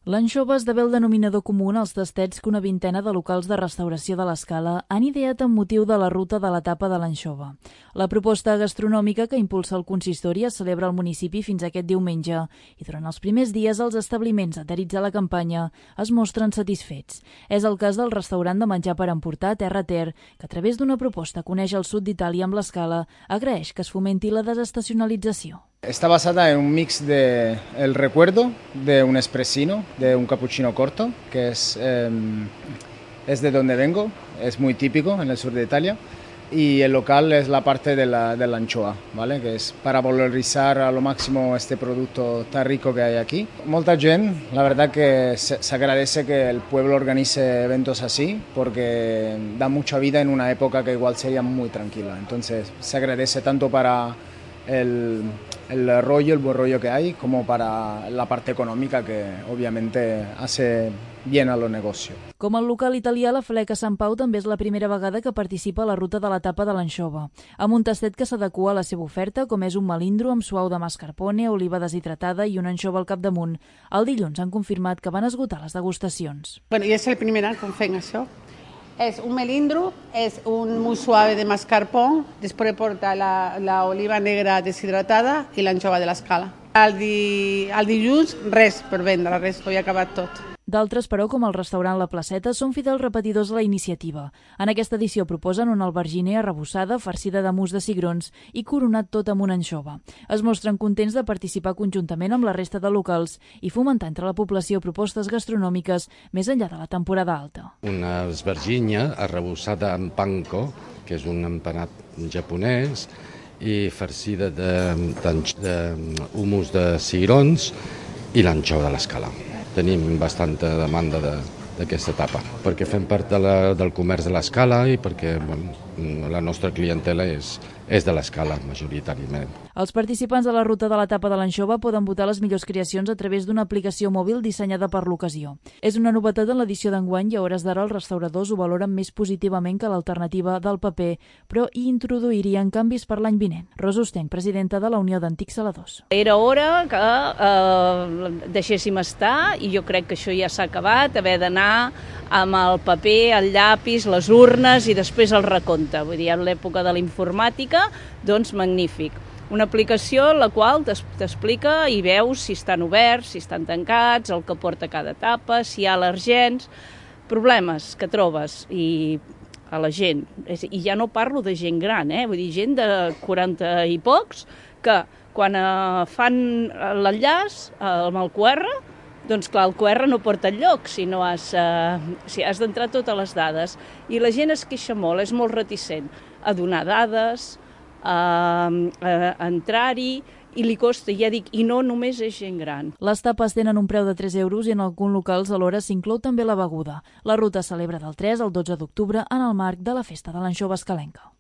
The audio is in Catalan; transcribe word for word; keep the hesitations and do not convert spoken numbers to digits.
L'anxova esdevé el denominador comú en els tastets que una vintena de locals de restauració de l'Escala han ideat amb motiu de la ruta de l'etapa de l'anxova. La proposta gastronòmica que impulsa el consistori es celebra al municipi fins aquest diumenge i durant els primers dies els establiments adherits a la campanya es mostren satisfets. És el cas del restaurant de menjar per emportar Terra Ter, que a través d'una proposta coneix el sud d'Itàlia amb l'Escala, agraeix que es fomenti la desestacionalització. Está basada en un mix de el recuerdo de un espressino, de un cappuccino corto, que es, eh, es de donde vengo, es muy típico en el sur de Italia, y el local es la parte de la, de la anchoa, ¿vale? Que es para valorizar a lo máximo este producto tan rico que hay aquí. Molta gent, la verdad que se, se agradece que el pueblo organice eventos así, porque da mucha vida en una época que igual sería muy tranquila. Entonces se agradece tanto para el, el rollo, el buen rollo que hay, como para la parte económica que obviamente hace bien a los negocios. Com el local italià, la Fleca Sant Pau també és la primera vegada que participa a la ruta de l'etapa de l'anxova, amb un tastet que s'adequa a la seva oferta, com és un melindro amb suau de mascarpone, oliva deshidratada i una anxova al capdamunt. El dilluns han confirmat que van esgotar les degustacions. Bueno, i és el primer any que fem això. És un melindro, és un mousse suave de mascarpone, després porta la, la oliva negra deshidratada i l'anxova de l'Escala. El, di, el dilluns res per vendre, res, ho he acabat tot. D'altres, però, com el restaurant La Placeta, són fidels repetidors de la iniciativa. En aquesta edició proposen una alberginer arrebossada, farcida de mousse de cigrons i coronat tot amb una anxova. Es mostren contents de participar conjuntament amb la resta de locals i fomentar entre la població propostes gastronòmiques més enllà de la temporada alta. Una albergínia arrebossada amb panko, que és un empanat japonès, i farcida d'humus de, de, de cigrons i l'anxova de l'Escala. Tenim bastanta demanda d'aquesta etapa, perquè fem part de la, del comerç de l'Escala i perquè bueno, la nostra clientela és, és de l'Escala, majoritàriament. Els participants de la ruta de l'etapa de l'anxova poden votar les millors creacions a través d'una aplicació mòbil dissenyada per l'ocasió. És una novetat en l'edició d'enguany i a hores d'ara els restauradors ho valoren més positivament que l'alternativa del paper, però hi introduirien canvis per l'any vinent. Rosa Ostenc, presidenta de la Unió d'Antics Saladors. Era hora que eh, deixéssim estar i jo crec que això ja s'ha acabat, haver d'anar amb el paper, el llapis, les urnes i després el recompte. Vull dir, en l'època de la informàtica, doncs magnífic. Una aplicació en la qual t'explica i veus si estan oberts, si estan tancats, el que porta cada etapa, si hi ha al·lèrgens, problemes que trobes i a la gent. I ja no parlo de gent gran, eh? Vull dir, gent de quaranta i pocs que quan eh, fan l'enllaç eh, amb el Q R, doncs clar, el Q R no porta enlloc si no has, eh, si has d'entrar totes les dades. I la gent es queixa molt, és molt reticent a donar dades, a, a entrar-hi, i li costa, ja dic, i no només és gent gran. Les tapes tenen un preu de tres euros i en alguns locals alhora s'inclou també la beguda. La ruta es celebra del tres al dotze d'octubre en el marc de la Festa de l'Anxova Escalenca.